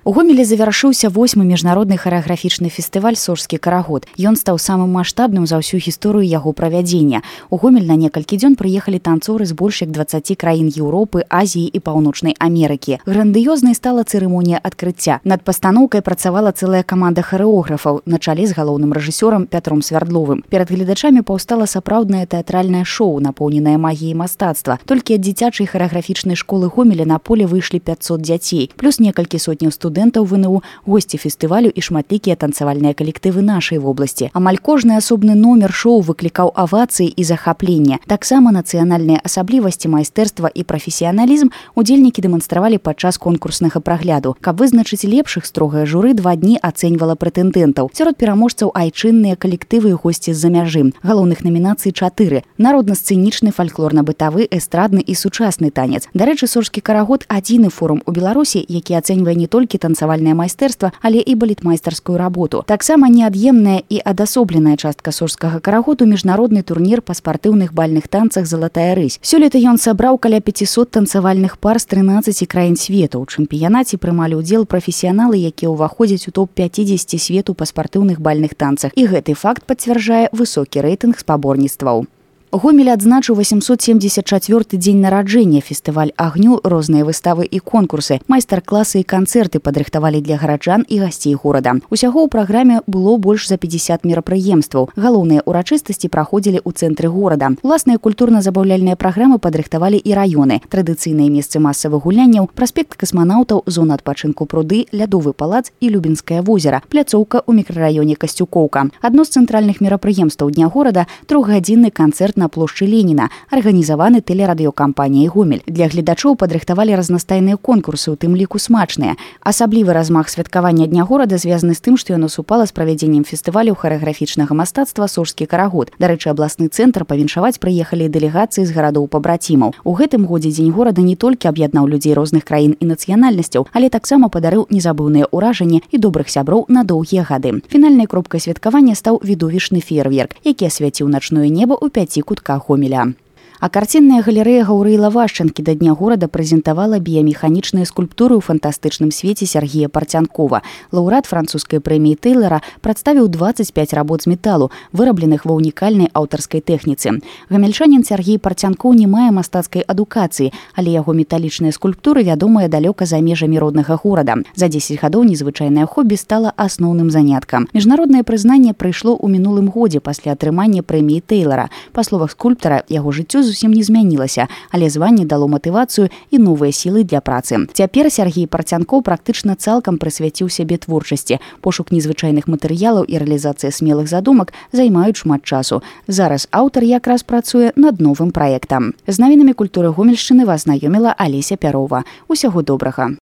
У Гомелі завяршыўся 8-й міжнародны харэаграфічны фестываль «Сожскі карагод». Ён стаў самым маштабным за ўсю гісторыю яго правядзення. У Гомель на некалькі дзён прыехалі танцоры з больш як 20 краін Еўропы, Азіі і Паўночнай Амерыкі. Грандыёзнай стала цырымонія адкрыцця. Над пастаноўкай працавала цэлая каманда харэографаў на чале з галоўным рэжысёрам Пятром Свярдловым. Перад гледачамі паўстала сапраўднае тэатральнае шоу, напоўненае магіяй мастацтва. Толькі ад дзіцячай харэаграфічнай школы Гомеля на поле выйшлі 500 дзяцей, плюс некалькі сотняў студэнтаў ВНУ, госці фестывалю і шматлікія танцавальныя калектывы нашай вобласці. Амаль кожны асобны номер шоу выклікаў авацыі і захапленне. Таксама нацыянальныя асаблівасці, майстэрства і прафесіяналізм удзельнікі дэманстравалі падчас конкурснага прагляду. Каб вызначыць лепшых, строгае журы 2 дні ацэньвала прэтэндэнтаў. Сярод пераможцаў айчынныя калектывы і госці з-за мяжы. Галоўных намінацый 4: народна-сцэнічны, фальклорна-бытавы, эстрадны і сучасны танец. Дарэчы, «Сожскі карагод» адзіны форум у Беларусі, які ацэньвае не толькі танцавальнае майстэрства, але і балетмайстарскую работу. Таксама неад'емная і адасобленая частка «Сожскага карагоду» міжнародны турнір па спартыўных бальных танцах «Залатая рысь». Сёлета ён сабраў каля 500 танцавальных пар з 13 краін свету. У чэмпіянаце прымалі ўдзел прафесіяналы, якія ўваходзяць у топ-50 свету па спартыўных бальных танцах. І гэты факт пацвярджае высокі рэйтынг спаборніцтваў. Гомель адзначыў 874-й дзень нараджэння. Фестываль агню, розныя выставы і конкурсы, майстар-класы і канцэрты падрыхтавалі для гараджан і гасцей горада. Усяго ў праграме было больш за 50 мерапрыемстваў. Галоўныя ўрачыстасці праходзілі ў цэнтры горада. Уласныя культурна-забаўляльныя праграмы падрыхтавалі і раёны. Традыцыйныя месцы масавых гулянняў, праспект касманаўтаў, зона адпачынку пруды, лядовы палац і Любінскае возера, пляцоўка ў мікрараёне Касцюкоўка. Адно з цэнтральных мерапрыемстваў дня горада – 3-гадзінны канцэрт на плошчы Леніна, арганізаваны тэлерадыёкампаніяй «Гомель». Для гледачоў падрыхтавалі разнастайныя конкурсы, у тым ліку смачныя. Асаблівы размах святкавання дня горада звязаны з тым, што яно супала з правядзеннем фестывалю харэаграфічнага мастацтва «Сожскі карагод». Дарэчы, абласны цэнтр павіншаваць прыехалі дэлегацыі з гарадоў-пабрацімаў. У гэтым годзе дзень горада не толькі аб'яднаў людзей розных краін і нацыянальнасцяў, але таксама падарыў незабыўныя ўражанні і добрых сяброў на доўгія гады. Фінальнай кропкай святкавання стаў відовішчны феерверк, які асвяціў начное неба ў 5 кутках Гомеля. А карцінная галерэя Гаўрыла Вашчанкі да дня горада прэзентавала біямеханічныя скульптуры ў фантастычным свеце Сергея Парцянкова. Лаўрэат французскай прэміі Тэйлара прадставіў 25 работ з металу, вырабленых ва ўнікальнай аўтарскай тэхніцы. Гамельчанін Сергей Парцянкоў не мае мастацкай адукацыі, але яго металічныя скульптуры вядомыя далёка за межамі роднага горада. За 10 гадоў незвычайнае хобі стала асноўным заняткам. Міжнароднае прызнанне прыйшло ў мінулым годзе пасля атрымання прэміі Тэйлара. Па словах скульптара, яго жыццё зусім не змянілася, але званне дало матывацыю і новыя сілы для працы. Цяпер Сергей Парцянкоў практычна цалкам прысвяціў сябе творчасці. Пошук незвычайных матэрыялаў і рэалізацыя смелых задумак займаюць шмат часу. Зараз аўтар якраз працуе над новым праектам. З навінамі культуры Гомельшчыны вас знаёміла Алеся Пярова. Усяго добрага.